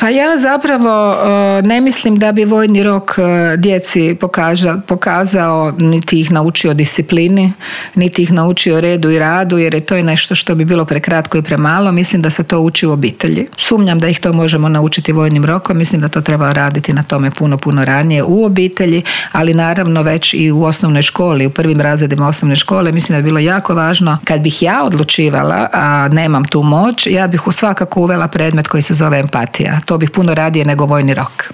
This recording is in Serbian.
Pa ja zapravo ne mislim da bi vojni rok djeci pokazao, niti ih naučio disciplini, niti ih naučio redu i radu, jer je to nešto što bi bilo prekratko i premalo. Mislim da se to uči u obitelji. Sumnjam da ih to možemo naučiti vojnim rokom. Mislim da to treba raditi na tome puno ranije u obitelji, ali naravno već i u osnovnoj školi, u prvim razredima osnovne škole. Mislim da je bilo jako važno. Kad bih ja odlučivala, a nemam tu moć, ja bih svakako uvela predmet koji se zove empatija. To bih puno radije nego vojni rok.